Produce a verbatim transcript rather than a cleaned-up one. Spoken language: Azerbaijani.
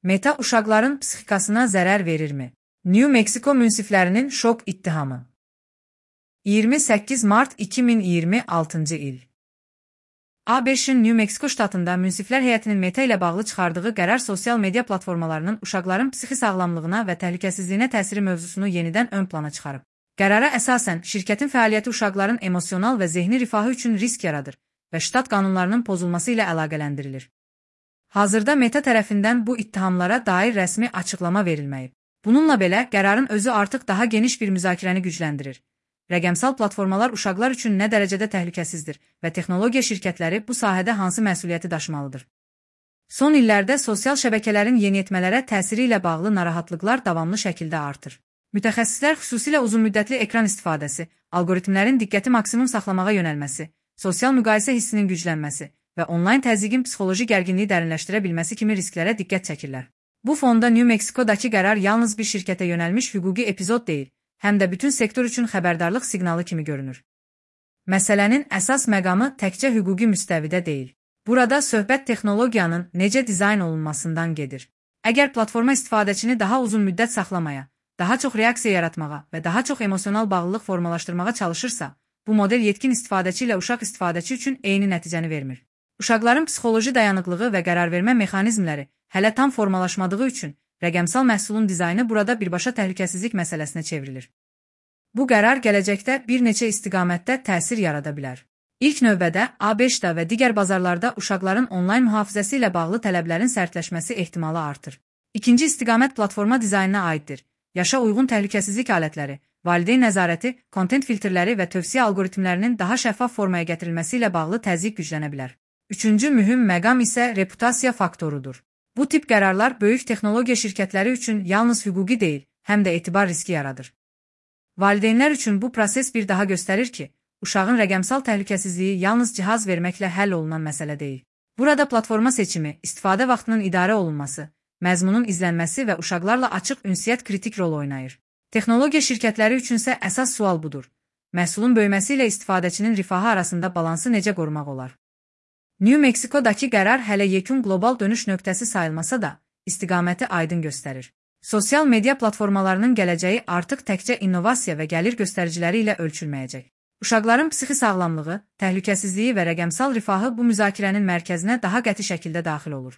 Meta uşaqların psixikasına zərər verirmi? New Mexico münsiflərinin şok ittihamı. iyirmi səkkiz mart iki min iyirmi altıncı il. A B Ş'in New Mexico ştatında münsiflər heyətinin Meta ilə bağlı çıxardığı qərar sosial media platformalarının uşaqların psixi sağlamlığına və təhlükəsizliyinə təsiri mövzusunu yenidən ön plana çıxarıb. Qərara əsasən, şirkətin fəaliyyəti uşaqların emosional və zehni rifahı üçün risk yaradır və ştat qanunlarının pozulması ilə əlaqələndirilir. Hazırda Meta tərəfindən bu ittihamlara dair rəsmi açıqlama verilməyib. Bununla belə, qərarın özü artıq daha geniş bir müzakirəni gücləndirir. Rəqəmsal platformalar uşaqlar üçün nə dərəcədə təhlükəsizdir və texnologiya şirkətləri bu sahədə hansı məsuliyyəti daşımalıdır? Son illərdə sosial şəbəkələrin yeniyetmələrə təsiri ilə bağlı narahatlıqlar davamlı şəkildə artır. Mütəxəssislər xüsusilə uzunmüddətli ekran istifadəsi, algoritmlərin diqqəti maksimum saxlamağa yönəlməsi, sosial müqayisə hissinin güclənməsi və onlayn təzyiqin psixoloji gərginliyi dərinləşdirə bilməsi kimi risklərə diqqət çəkirlər. Bu fonda New Mexico'dakı qərar yalnız bir şirkətə yönəlmiş hüquqi epizod deyil, həm də bütün sektor üçün xəbərdarlıq siqnalı kimi görünür. Məsələnin əsas məqamı təkcə hüquqi müstəvidə deyil. Burada söhbət texnologiyanın necə dizayn olunmasından gedir. Əgər platforma istifadəçini daha uzun müddət saxlamaya, daha çox reaksiya yaratmağa və daha çox emosional bağlılıq formalaşdırmağa çalışırsa, bu model yetkin istifadəçi ilə uşaq istifadəçi üçün eyni nəticəni vermir. Uşaqların psixoloji dayanıqlığı və qərarvermə mexanizmləri hələ tam formalaşmadığı üçün rəqəmsal məhsulun dizaynı burada birbaşa təhlükəsizlik məsələsinə çevrilir. Bu qərar gələcəkdə bir neçə istiqamətdə təsir yarada bilər. İlk növbədə A B Ş'da və digər bazarlarda uşaqların onlayn mühafizəsi ilə bağlı tələblərin sərtləşməsi ehtimalı artır. İkinci istiqamət platforma dizaynına aiddir. Yaşa uyğun təhlükəsizlik alətləri, valideyn nəzarəti, kontent filtrləri və tövsiyə algoritmlərinin daha şəffaf formaya gətirilməsi ilə bağlı təzyiq güclənə bilər. Üçüncü mühüm məqam isə reputasiya faktorudur. Bu tip qərarlar böyük texnologiya şirkətləri üçün yalnız hüquqi deyil, həm də etibar riski yaradır. Valideynlər üçün bu proses bir daha göstərir ki, uşağın rəqəmsal təhlükəsizliyi yalnız cihaz verməklə həll olunan məsələ deyil. Burada platforma seçimi, istifadə vaxtının idarə olunması, məzmunun izlənməsi və uşaqlarla açıq ünsiyyət kritik rol oynayır. Texnologiya şirkətləri üçünsə əsas sual budur. Məhsulun böyüməsi ilə istifadəçinin rifahı arasında balansı necə qorumaq olar? New Mexico'dakı qərar hələ yekun qlobal dönüş nöqtəsi sayılmasa da, istiqaməti aydın göstərir. Sosial media platformalarının gələcəyi artıq təkcə innovasiya və gəlir göstəriciləri ilə ölçülməyəcək. Uşaqların psixi sağlamlığı, təhlükəsizliyi və rəqəmsal rifahı bu müzakirənin mərkəzinə daha qəti şəkildə daxil olur.